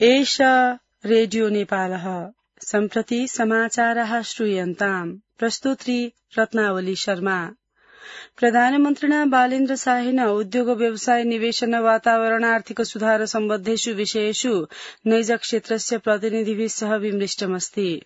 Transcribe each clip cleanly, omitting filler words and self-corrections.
एष रेडियो नेपालः सम्प्रति समाचारः श्रूयन्ताम् प्रस्तुत्री रत्नावली शर्मा। प्रधानमन्त्रिणा बालेन्द्र शाहेन उद्योग व्यवसाय निवेशन वातावरण आर्थिक सुधार सम्बद्धेषु विषयेषु नैज क्षेत्रस्य प्रतिनिधिभिः सह विमृष्टमस्ति।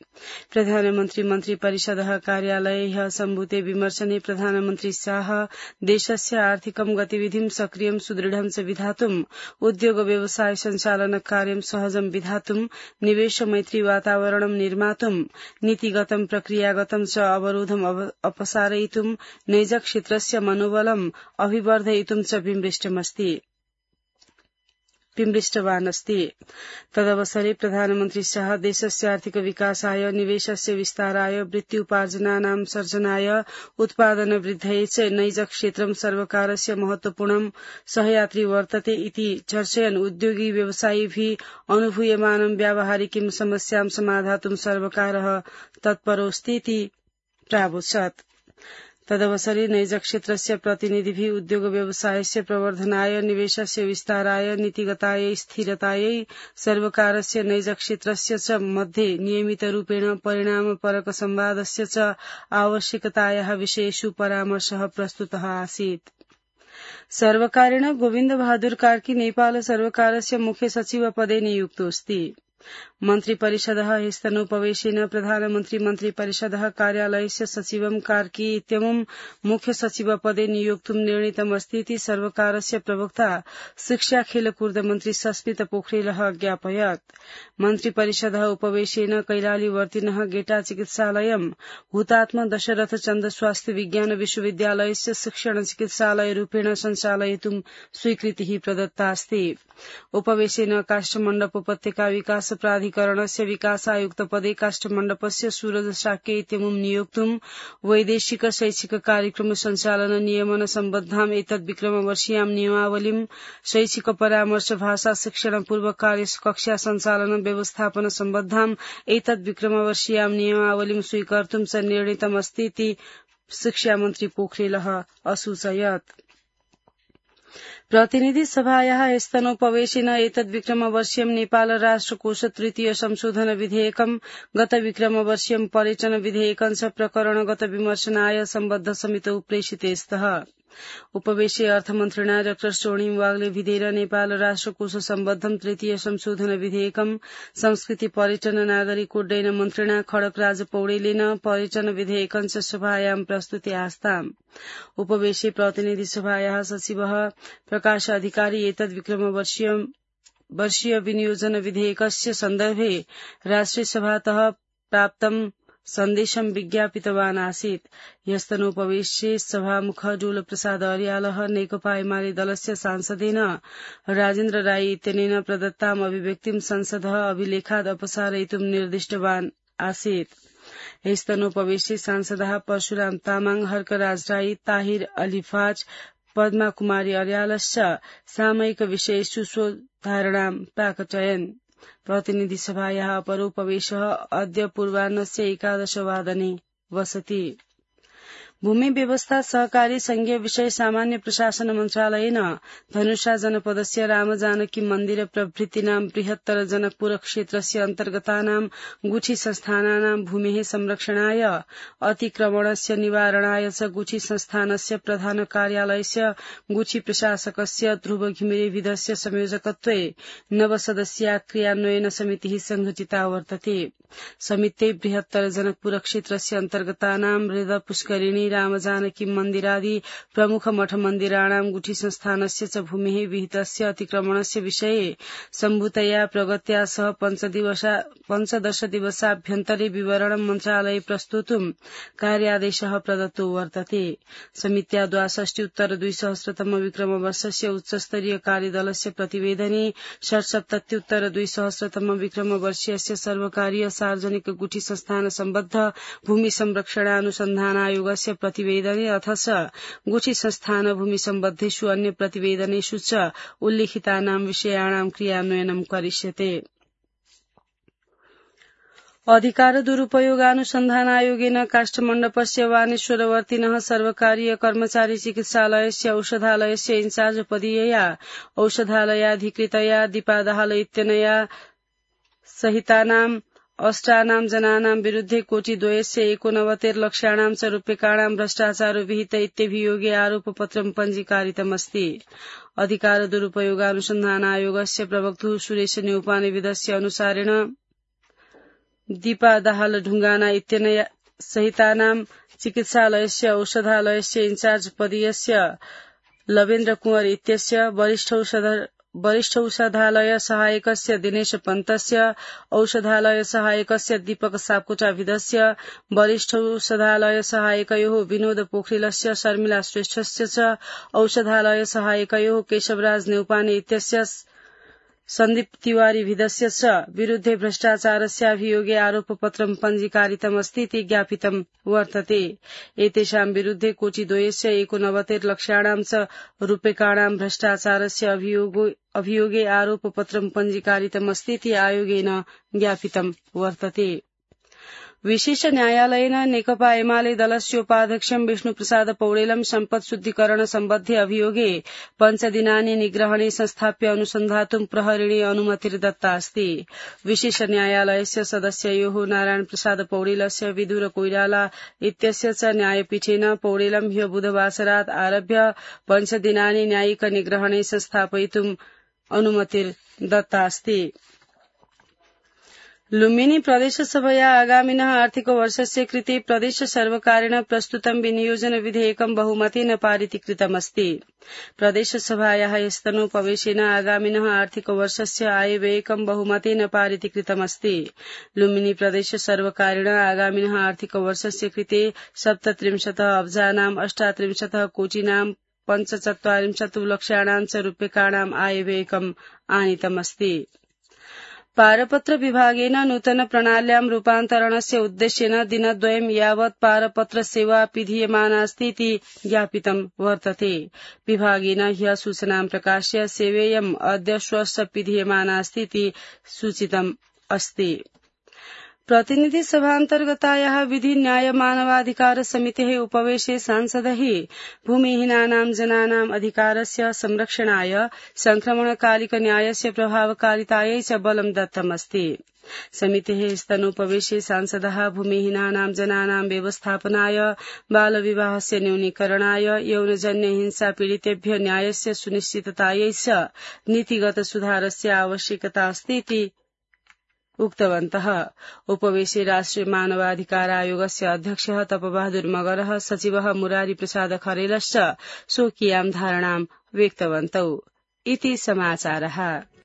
प्रधानमन्त्री मन्त्री परिषदः कार्यालये सम्भूते विमर्शने प्रधानमन्त्री शाह देशस्य आर्थिकं गतिविधिं सक्रियं सुदृढं च विधातुं उद्योग व्यवसाय सञ्चालन कार्यं सहजं विधातुं निवेश मैत्री वातावरणं निर्मातुं नीतिगतं प्रक्रियागतं च अवरोधं अपसारयितुं नैज क्षेत्रस्य मनोबलम् अभिवर्धयितुं च विमृष्टवान् अस्ति। तदवसरे प्रधानमन्त्री शाह देशस्य आर्थिक विकासाय निवेशस्य विस्ताराय वृत्ति उपार्जनानां सर्जनाय उत्पादन वृद्धये च नैज क्षेत्रं सर्वकारस्य महत्वपूर्णं सहयात्री वर्तते इति चर्चयन् उद्योगी व्यवसायिभिः अनुभूयमानं व्यावहारिकीं समस्यां समाधातुं सर्वकारः तत्परोऽस्ति इति प्रावोचत्। तदवसरे नैज क्षेत्रस्य प्रतिनिधिभिः उद्योग व्यवसायस्य प्रवर्धनाय निवेशस्य विस्ताराय नीतिगतायै स्थिरतायै सर्वकारस्य नैज क्षेत्रस्य च मध्ये नियमितरूपेण परिणामपरक संवादस्य च आवश्यकतायाः विषयेषु परामर्शः प्रस्तुतः आसीत्। सर्वकारेण गोविन्द बहादुर कार्की नेपाल सर्वकारस्य मुख्य सचिव पदे नियुक्तोऽस्ति। मन्त्री परिषदः ह्यस्तनोपवेशेन प्रधानमन्त्री मन्त्री परिषदः कार्यालयस्य सचिवं कार्की इत्यमुं मुख्य सचिव पदे नियोक्तुं निर्णीतमस्ति इति सर्वकारस्य प्रवक्ता शिक्षा खेलकूद मन्त्री सस्मित पोखरेलः ज्ञापयत्। मन्त्री परिषदः उपवेशेन कैलालीवर्तिनः गेटा चिकित्सालयं हुतात्मा दशरथ चन्द स्वास्थ्य विज्ञान विश्वविद्यालयस्य शिक्षण चिकित्सालय रूपेण सञ्चालयितुं स्वीकृतिः प्रदत्तास्ति। उपवेशेन काष्ठमण्डप उपत्यका विकास प्राधिकरणस्य विकासायुक्त पदे काष्ठमण्डपस्य सूरज शाक्य इत्यमुं नियोक्तुं वैदेशिक शैक्षिक कार्यक्रम सञ्चालन नियमन सम्बद्धाम् एतद्विक्रमवर्षीयां नियमावलीं शैक्षिक परामर्श भाषा शिक्षण पूर्व कार्य कक्षा सञ्चालन व्यवस्थापन सम्बद्धाम् एतद्विक्रमवर्षीयां नियमावलीं स्वीकर्तुं च निर्णीतमस्ति इति शिक्षा मन्त्री पोखरेलः असूचयत्। प्रतिनिधि सभायाः स्तनोपवेशेन एतद्विक्रमवर्षीयं नेपाल राष्ट्रकोष तृतीय संशोधन विधेयकं गत विक्रमवर्षीयं पर्यटन विधेयकं च प्रकरणगत विमर्शनाय सम्बद्ध समितौ प्रेषिते स्तः। उपवेशे अर्थमन्त्रिणा डा स्वर्णिम वाग्ले विधेयर नेपाल राष्ट्रकोष सम्बद्धं तृतीय संशोधन विधेयकं संस्कृति पर्यटन नागरिक उड्डयन मन्त्रिणा खड्गराज पौडेलेन पर्यटन विधेयकं च सभायां प्रस्तुते आस्ताम्। उपवेशे प्रतिनिधि सभायाः सचिवः प्रकाश अधिकारी एतद्विक्रमवर्षीय विनियोजन विधेयकस्य सन्दर्भे राष्ट्रिय सभातः प्राप्तं सन्देशं विज्ञापितवान् आसीत्। ह्यस्तनोपवेशे सभामुख डोल प्रसाद अर्यालः नेकपा एमाले दलस्य सांसदेन राजेन्द्र राई इत्यनेन प्रदत्ताम् अभिव्यक्तिं संसदः अभिलेखात् अपसारयितुं निर्दिष्टवान् आसीत्। ह्यस्तनोपवेशे सांसदः परशुराम तामाङ, हर्कराज राई, ताहिर अलिफाज, पद्मा कुमारी अर्यालश्च सामयिक विषयेषु स्वधारणां प्राकटयन्। प्रतिनिधि सभायाः अपरोपवेशः अद्य पूर्वाह्नस्य 11 वादने वसति। भूमि व्यवस्था सहकारी संघीय विषय सामान्य प्रशासन मन्त्रालयेन धनुषा जनपदस्य रामजानकी मन्दिर प्रभृतीनां बृहत्तर जनकपुर क्षेत्रस्य अन्तर्गतानां गुठी संस्थानानां भूमेः संरक्षणाय अतिक्रमणस्य निवारणाय च गुठी संस्थानस्य प्रधान कार्यालयस्य गुठी प्रशासकस्य ध्रुव घिमिरे विधस्य संयोजकत्वे नवसदस्या क्रियान्वयन समितिः संघटिता वर्तते। समित्यै बृहत्तर जनकपुर क्षेत्रस्य अन्तर्गतानां हृद पुष्करिणी रामजानकी मन्दिरादि प्रमुख मठ मन्दिराणां गुठी संस्थानस्य च भूमेः विहितस्य अतिक्रमणस्य विषये सम्भूतया प्रगत्या सह 15 दिवसाभ्यन्तरे विवरणं मन्त्रालये प्रस्तोतुं कार्यादेशः प्रदत्तो वर्तते। समित्या 62-2000 विक्रमवर्षस्य उच्चस्तरीय कार्यदलस्य प्रतिवेदने 77-2000 विक्रमवर्षीयस्य सर्वकारीय सार्वजनिक गुठी संस्थान सम्बद्ध भूमि संरक्षणानुसन्धान आयोगस्य प्रतिवेदने अथ च गुठी संस्थान भूमि सम्बद्धेषु अन्य प्रतिवेदनेषु च उल्लिखितानां विषयाणां क्रियान्वयनं करिष्यते। अधिकार दुरुपयोगानुसन्धान आयोगेन काष्ठमण्डपस्य वानेश्वरवर्तिनः सर्वकारीय कर्मचारी चिकित्सालयस्य औषधालयस्य इन्चार्ज पदीयया औषधालयाधिकृतया दीपा दाहाल इत्यनया सहितानाम् अष्टानां जनानां विरुद्धे कोटिद्वयस्य 89 लक्षाणां च रूप्यकाणां भ्रष्टाचारो विहित इत्यभियोगे आरोपपत्रं पञ्जीकारितमस्ति। अधिकार दुरुपयोगानुसन्धानायोगस्य प्रवक्तुः सुरेश न्यौपानेविदस्य अनुसारेण दीपा दाहाल ढुङ्गाना इत्यनया सहितानां चिकित्सालयस्य औषधालयस्य इन्चार्ज पदीयस्य लवेन्द्र कुंवर इत्यस्य वरिष्ठ औषधालय सहायकस्य दिनेश पन्तस्य औषधालय सहायकस्य दीपक सापकोटाविदस्य वरिष्ठ औषधालय सहायकयोः विनोद पोखरेलस्य शर्मिला श्रेष्ठस्य च औषधालय सहायकयोः केशवराज न्यौपाने इत्यस्य सन्दीप तिवारी विदस्य च विरुद्धे भ्रष्टाचारस्याभियोगे आरोपपत्रं पञ्जीकारितमस्तीति ज्ञापितं वर्तते। एतेषां विरुद्धे कोटिद्वयस्य 89 लक्षाणां च रूप्यकाणां भ्रष्टाचारस्य अभियोगे आरोपपत्रं पञ्जीकारितमस्तीति आयोगेन ज्ञापितं वर्तते। विशेष न्यायालयेन नेकपा एमाले दलस्योपाध्यक्षं विष्णुप्रसाद पौडेलं सम्पत् शुद्धिकरण सम्बद्धे अभियोगे 5 दिनानि निग्रहणे संस्थाप्य अनुसन्धातुं प्रहरिणे अनुमतिर्दत्ता अस्ति। विशेष न्यायालयस्य सदस्ययोः नारायण प्रसाद पौडेलस्य विदुर कोइराला इत्यस्य च न्यायपीठेन पौडेलं ह्य बुधवासरात् आरभ्य 5 दिनानि न्यायिक निग्रहणे संस्थापयितुं अनुमतिर्दत्ता अस्ति। लुम्बिनी प्रदेशसभया आगामिनः आर्थिकवर्षस्य कृते प्रदेशसर्वकारेण प्रस्तुतं विनियोजन विधेयकं बहुमतेन पारितीकृतमस्ति। प्रदेशसभायाः स्तनोपवेशेन आगामिनः आर्थिकवर्षस्य आयव्ययकं बहुमतेन पारितीकृतमस्ति। लुम्बिनी प्रदेशसर्वकारेण आगामिनः आर्थिकवर्षस्य कृते 37 अब्जानां 38 कोटिनां 45 लक्षाणां च रूप्यकाणां आयव्ययकम् आनीतमस्ति। पारपत्र विभागेन नूतन प्रणाल्यां रूपान्तरणस्य उद्देश्येन दिनद्वयं यावत् पारपत्र सेवा पिधीयमानास्ति इति ज्ञापितं वर्तते। विभागेन ह्यः सूचनां प्रकाश्य सेवेयम् अद्य श्वः पिधीयमानास्ति इति सूचितम् अस्ति। प्रतिनिधि सभान्तर्गतायाः विधि न्याय मानवाधिकार समितेः उपवेशे सांसदैः भूमिहीनानां जनानाम् अधिकारस्य संरक्षणाय संक्रमणकालिक न्यायस्य प्रभावकारितायै च बलं दत्तमस्ति। समितेः स्तनोपवेशे सांसदः भूमिहीनानां जनानां व्यवस्थापनाय बालविवाहस्य न्यूनीकरणाय यौनजन्य हिंसा पीडितेभ्यः न्यायस्य सुनिश्चिततायै च नीतिगत सुधारस्य आवश्यकता अस्ति इति उक्तवन्तः। उपवेशे राष्ट्रिय मानवाधिकार आयोगस्य अध्यक्षः तपबहादुर मगरः सचिवः मुरारी प्रसाद खरेलश्च स्वकीयां धारणां व्यक्तवन्तौ इति समाचारः।